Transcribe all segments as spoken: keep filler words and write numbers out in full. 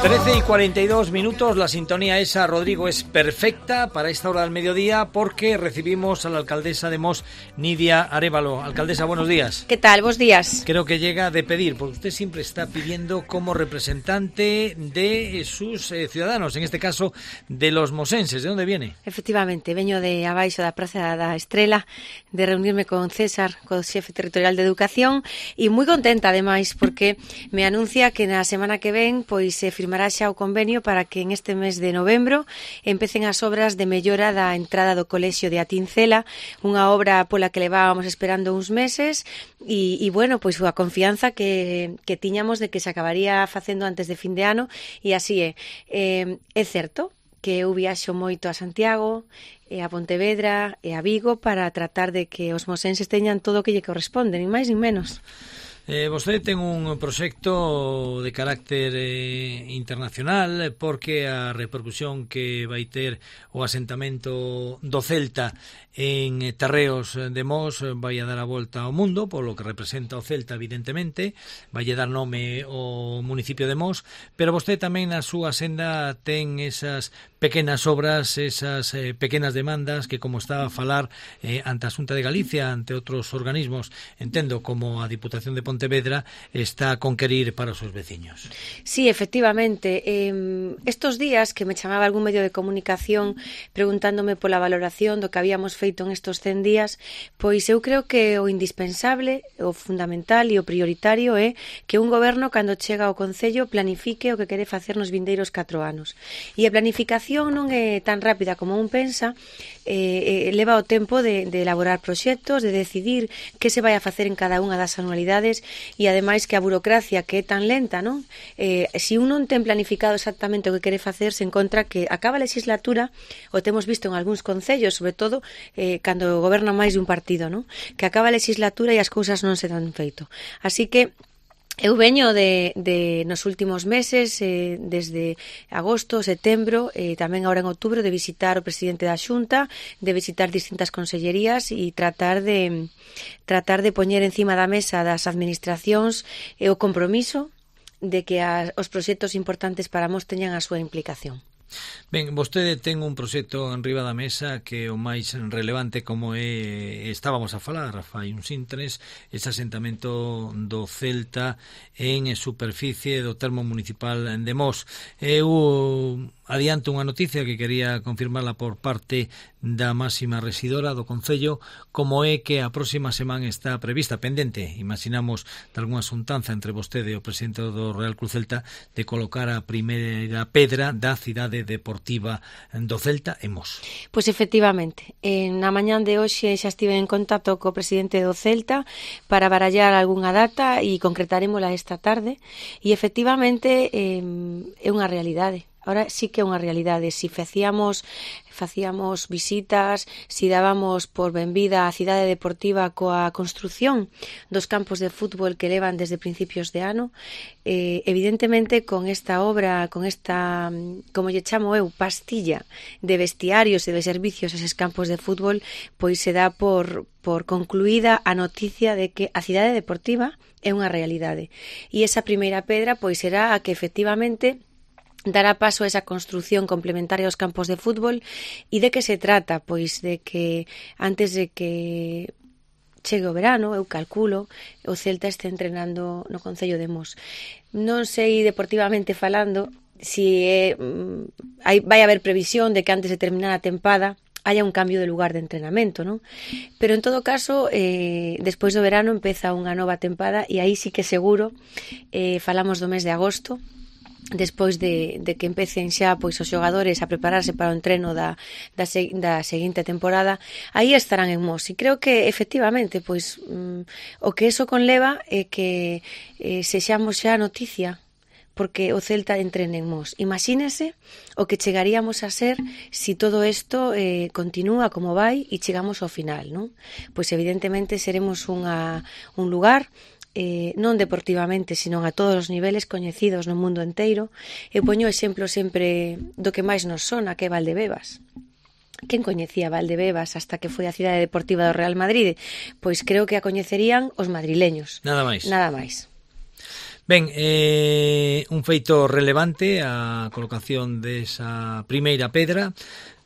trece y cuarenta y dos minutos, la sintonía esa, Rodrigo, es perfecta para esta hora del mediodía porque recibimos a la alcaldesa de Mos, Nidia Arévalo. Alcaldesa, buenos días. ¿Qué tal? Buenos días. Creo que llega de pedir, porque usted siempre está pidiendo como representante de sus eh, ciudadanos, en este caso de los mosenses. ¿De dónde viene? Efectivamente, veño de abaixo da Praza da Estrela, de reunirme con César, co xefe territorial de Educación, e moi contenta, ademais, porque me anuncia que na semana que ven pois se firmará xa o convenio para que en este mes de novembro empecen as obras de mellora da entrada do colexio de Atincela, unha obra pola que levábamos esperando uns meses e, e bueno, pois a confianza que, que tiñamos de que se acabaría facendo antes de fin de ano, e así é. Eh, é certo que eu viaxo moito a Santiago, e a Pontevedra e a Vigo para tratar de que os mosenses teñan todo o que lle corresponde, nin máis nin menos. Eh, vostede ten un proxecto de carácter eh, internacional porque a repercusión que vai ter o asentamento do Celta en Terreos de Mos vai a dar a volta ao mundo, polo que representa o Celta, evidentemente, vai a dar nome ao municipio de Mos, pero vostede tamén na súa senda ten esas pequenas obras, esas eh, pequenas demandas que, como estaba a falar eh, ante a Xunta de Galicia, ante outros organismos, entendo como a Diputación de Pontevedra, está a conquerir para os seus veciños. Sí, efectivamente. Eh, estos días que me chamaba algún medio de comunicación preguntándome pola valoración do que habíamos feito en estos cen días, pois eu creo que o indispensable, o fundamental e o prioritario é que un goberno, cando chega ao Concello, planifique o que quere facer nos vindeiros catro anos. E a planificación non é tan rápida como un pensa, eh, eh, leva o tempo de, de elaborar proxectos, de decidir que se vai a facer en cada unha das anualidades, e ademais que a burocracia, que é tan lenta, non? Eh, se un non ten planificado exactamente o que quere facer, se encontra que acaba a legislatura, o temos visto en algúns concellos, sobre todo eh, cando goberna máis de un partido, non? Que acaba a legislatura e as cousas non se dan feito. Así que eu veño de, de nos últimos meses, eh, desde agosto, setembro, e eh, tamén agora en outubro, de visitar o presidente da Xunta, de visitar distintas consellerías e tratar de tratar de poñer encima da mesa das administracións e o compromiso de que as, os proxectos importantes para Mos teñan a súa implicación. Ben, vostede ten un proxecto en riba da mesa que o máis relevante, como é, estábamos a falar fai uns intres, ese asentamento do Celta en superficie do termo municipal de Mos. Eu adianto unha noticia que quería confirmarla por parte da máxima rexidora do Concello, como é que a próxima semana está prevista, pendente, imaginamos, de algunha xuntanza entre vostede e o presidente do Real Club Celta, de colocar a primeira pedra da cidade deportiva do Celta en Mos. Pois efectivamente, na mañán de hoxe xa estive en contacto co presidente do Celta para barallar algunha data e concretarémola esta tarde, e efectivamente eh, é unha realidade. Ahora sí que é unha realidade. Si facíamos facíamos visitas, si dábamos por benvida a cidade deportiva coa construción dos campos de fútbol que levan desde principios de ano, eh, evidentemente con esta obra, con esta, como lle chamo eu, pastilla de vestiarios e de servicios a eses campos de fútbol, pois se dá por, por concluída a noticia de que a cidade deportiva é unha realidade. E esa primeira pedra pois será a que efectivamente dará paso a esa construción complementaria aos campos de fútbol. E de que se trata? Pois de que antes de que chegue o verano, eu calculo, o Celta este entrenando no Concello de Mos. Non sei deportivamente falando si é, hai, vai haber previsión de que antes de terminar a tempada haya un cambio de lugar de entrenamento, non? Pero en todo caso, eh, despois do verano empeza unha nova tempada, e aí sí que seguro, eh, falamos do mes de agosto, despois de, de que empecen xa pois os xogadores a prepararse para o entreno da, da, se, da seguinte temporada, aí estarán en Mos. E creo que efectivamente pois mm, o que eso conleva é que eh, sexamos xa noticia, porque o Celta entrene en Mos. Imagínese o que chegaríamos a ser si todo isto eh, continúa como vai e chegamos ao final, non? Pois evidentemente seremos unha, un lugar Eh, non deportivamente, sino a todos os niveles coñecidos no mundo enteiro. Eu poño exemplo sempre do que máis nos sona, que é Valdebebas. Quen coñecía Valdebebas hasta que foi a cidade deportiva do Real Madrid? Pois creo que a coñecerían os madrileños. Nada máis. Nada máis. Ben, eh, un feito relevante a colocación desa primeira pedra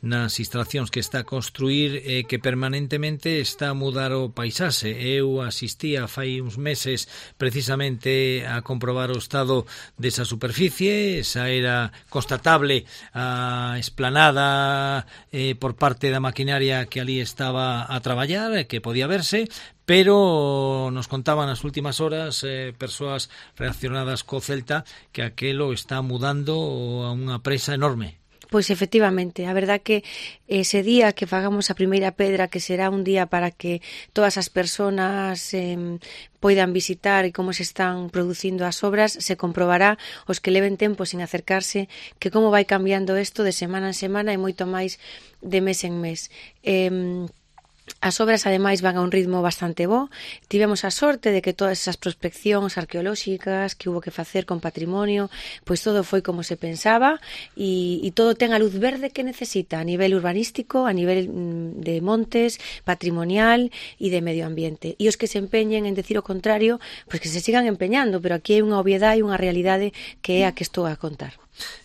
nas instalacións que está a construir e eh, que permanentemente está a mudar o paisaxe. Eu asistía fai uns meses precisamente a comprobar o estado desa superficie, esa era constatable a esplanada eh, por parte da maquinaria que ali estaba a traballar, eh, que podía verse, pero nos contaban nas últimas horas eh, persoas reaccionadas co Celta que aquelo está mudando a unha presa enorme. Pois efectivamente, a verdad que ese día que fagamos a primeira pedra, que será un día para que todas as persoas eh, poidan visitar e como se están producindo as obras, se comprobará os que leven tempo sin acercarse que como vai cambiando isto de semana en semana e moito máis de mes en mes. Eh, As obras, ademais, van a un ritmo bastante bo. Tivemos a sorte de que todas esas prospeccións arqueolóxicas que hubo que facer con patrimonio, pois todo foi como se pensaba e, e todo ten a luz verde que necesita a nivel urbanístico, a nivel mm, de montes, patrimonial e de medio ambiente. E os que se empeñen en decir o contrario, pois que se sigan empeñando, pero aquí hai unha obviedade e unha realidade que é a que estou a contar.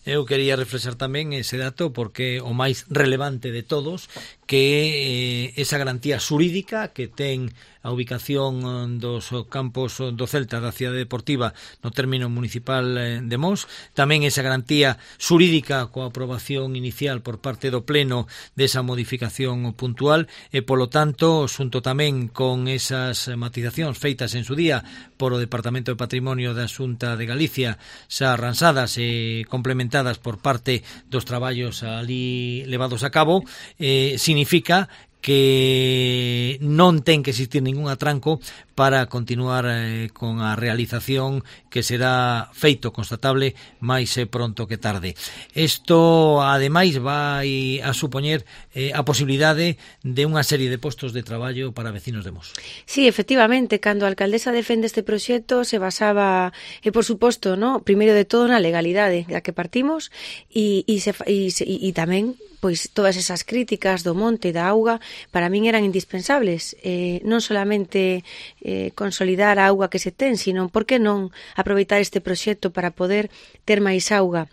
Eu quería reflexar tamén ese dato porque o máis relevante de todos que eh, esa garantía xurídica que ten a ubicación dos campos do Celta da cidade deportiva no término municipal de Mos, tamén esa garantía xurídica coa aprobación inicial por parte do Pleno desa modificación puntual e, polo tanto, xunto tamén con esas matizacións feitas en su día por o Departamento de Patrimonio da Xunta de Galicia xa arransadas e complementadas por parte dos traballos ali levados a cabo, eh, significa que non ten que existir ningún atranco para continuar eh, con a realización que será feito constatable máis eh, pronto que tarde. Isto, ademais, vai a supoñer eh, a posibilidade de unha serie de postos de traballo para vecinos de Mos. Sí, efectivamente, cando a alcaldesa defende este proxecto se basaba, e por suposto, no, primeiro de todo na legalidade da que partimos e, e, se, e, e, e tamén pois todas esas críticas do monte e da auga para min eran indispensables, eh, non solamente eh, consolidar a auga que se ten, sino por que non aproveitar este proxecto para poder ter máis auga.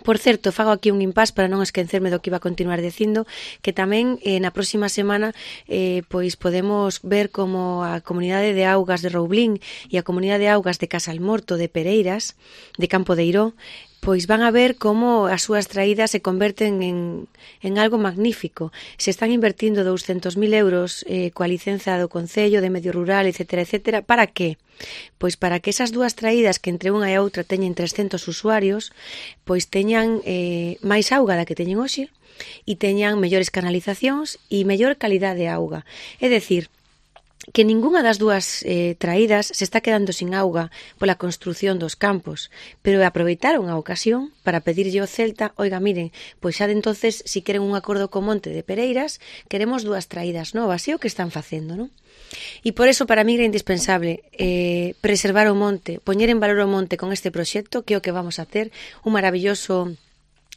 Por certo, fago aquí un impás para non esquecerme do que iba a continuar dicindo, que tamén eh, na próxima semana eh, pois podemos ver como a comunidade de augas de Roublín e a comunidade de augas de Casalmorto, de Pereiras, de Campo de Eiró, pois van a ver como as súas traídas se converten en, en algo magnífico. Se están invertindo douscentos mil euros eh, coa licenza do Concello de Medio Rural, etcétera, etcétera. Para que? Pois para que esas dúas traídas que entre unha e outra teñen trescentos usuarios, pois teñan eh, máis auga da que teñen hoxe e teñan mellores canalizacións e mellor calidade de auga. É dicir, que ningunha das dúas eh, traídas se está quedando sin auga pola construción dos campos, pero aproveitaron a ocasión para pedirlle ao Celta, oiga, miren, pois xa de entonces, si queren un acordo co Monte de Pereiras, queremos dúas traídas novas, e o que están facendo, non? E por eso para mí era indispensable eh, preservar o monte, poñer en valor o monte con este proxecto, que é o que vamos a ter, un maravilloso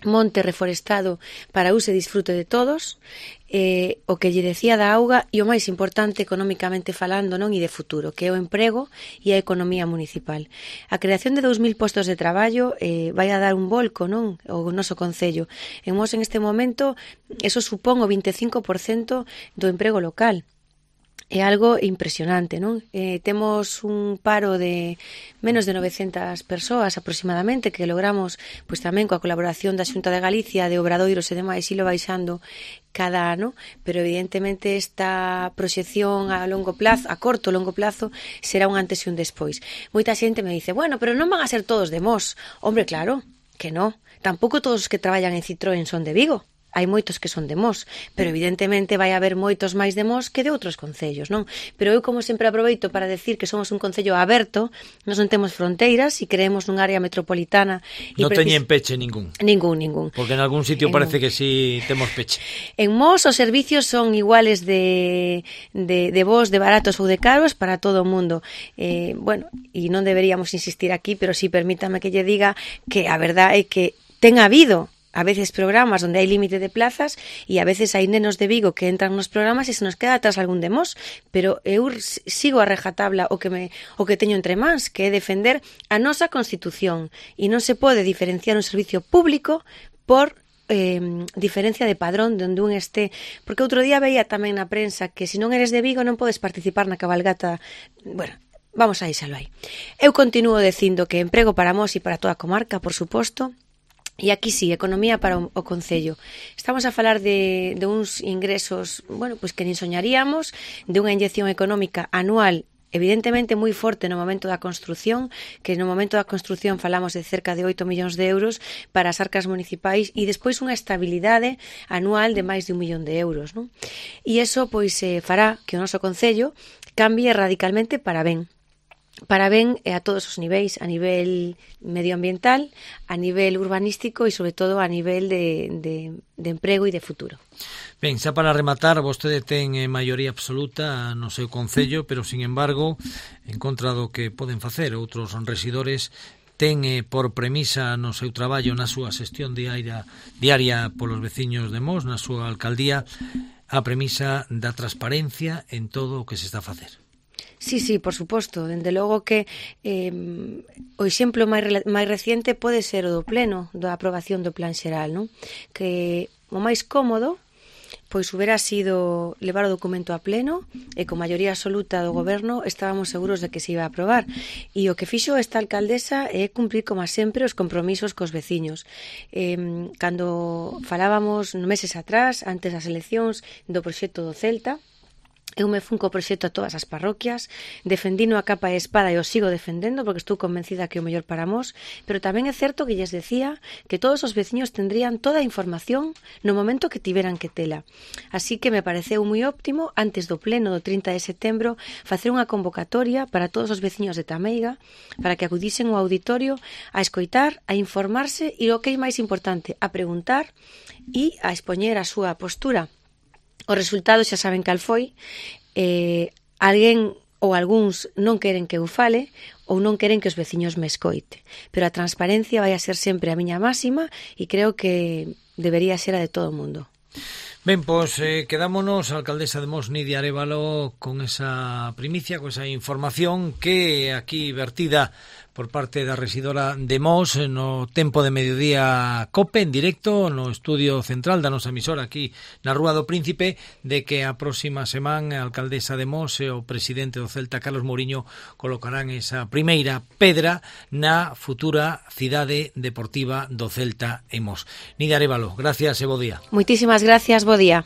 monte reforestado para uso e disfrute de todos, eh, o que lle decía da auga e o máis importante económicamente falando, non, e de futuro, que é o emprego e a economía municipal. A creación de dous mil postos de traballo eh, vai a dar un volco, non, o noso concello. En Mos, en este momento, eso supón o vinte e cinco por cento do emprego local. É algo impresionante, non? Eh, temos un paro de menos de novecentas persoas aproximadamente que logramos, pois tamén coa colaboración da Xunta de Galicia, de Obradoiros e demais, ilo baixando cada ano, pero evidentemente esta proxección a longo plazo, a corto longo plazo, será un antes e un despois. Moita xente me dice, bueno, pero non van a ser todos de Mos. Hombre, claro, que non. Tampouco todos os que traballan en Citroën son de Vigo. Hai moitos que son de Mos, pero evidentemente vai haber moitos máis de Mos que de outros concellos, non? Pero eu, como sempre, aproveito para decir que somos un concello aberto, nós non temos fronteiras e creemos nun área metropolitana. Non precis... teñen peche ningún. Ningún, ningún. Porque en algún sitio en... parece que sí temos peche. En Mos os servicios son iguales de, de, de vos, de baratos ou de caros para todo o mundo. Eh, bueno, e non deberíamos insistir aquí, pero sí permítame que lle diga que a verdade é que ten habido a veces programas onde hai límite de plazas e a veces hai nenos de Vigo que entran nos programas e se nos queda atrás algún de Mos, pero eu sigo a rajatabla o que me o que teño entre mans, que é defender a nosa Constitución, e non se pode diferenciar un servicio público por eh, diferencia de padrón de onde un este, porque outro día veía tamén na prensa que se non eres de Vigo non podes participar na cabalgata. Bueno, vamos a deixalo aí. Eu continuo dicindo que emprego para Mos e para toda a comarca, por suposto. E aquí sí, economía para o, o Concello. Estamos a falar de, de uns ingresos, bueno, pois que nin soñaríamos, de unha inyección económica anual evidentemente moi forte no momento da construción, que no momento da construción falamos de cerca de oito millóns de euros para as arcas municipais e despois unha estabilidade anual de máis de un millón de euros, non? E iso pois eh, fará que o noso Concello cambie radicalmente para ben. Para ben a todos os niveis, a nivel medioambiental, a nivel urbanístico e sobre todo a nivel de, de, de emprego e de futuro. Ben, xa para rematar, vostede ten eh, maioría absoluta no seu concello, pero, sin embargo, en contra do que poden facer outros rexidores, ten eh, por premisa no seu traballo, na súa xestión diaria, diaria polos veciños de Mos, na súa alcaldía, a premisa da transparencia en todo o que se está a facer. Sí, sí, por suposto. Dende logo que eh, o exemplo máis, máis reciente pode ser o do pleno, da aprobación do plan xeral, non? Que o máis cómodo pois hubiera sido levar o documento a pleno e con maioría absoluta do goberno estábamos seguros de que se iba a aprobar. E o que fixo esta alcaldesa é cumprir, como sempre, os compromisos cos veciños. Eh, cando falábamos meses atrás, antes das eleccións, do proxecto do Celta, eu me fun co proxecto a todas as parroquias, defendino a capa e espada e o sigo defendendo porque estou convencida que é o mellor para Mos, pero tamén é certo que lles decía que todos os veciños tendrían toda a información no momento que tiveran que tela. Así que me pareceu moi óptimo, antes do pleno do trinta de setembro, facer unha convocatoria para todos os veciños de Tameiga para que acudisen ao auditorio a escoitar, a informarse e, o que é máis importante, a preguntar e a expoñer a súa postura. Os resultados xa saben cal foi, eh, alguén ou algúns non queren que eu fale ou non queren que os veciños me escoite. Pero a transparencia vai a ser sempre a miña máxima e creo que debería ser a de todo o mundo. Ben, pois eh, quedámonos, a alcaldesa de Mos, Nidia Arévalo, con esa primicia, con esa información que aquí vertida por parte da rexidora de Mos no tempo de mediodía COPE en directo no estudio central da nosa emisora aquí na Rúa do Príncipe, de que a próxima semana a alcaldesa de Mos e o presidente do Celta, Carlos Mouriño, colocarán esa primeira pedra na futura cidade deportiva do Celta en Mos. Nidia Arévalo, gracias e bo día. Moitísimas gracias, bo día.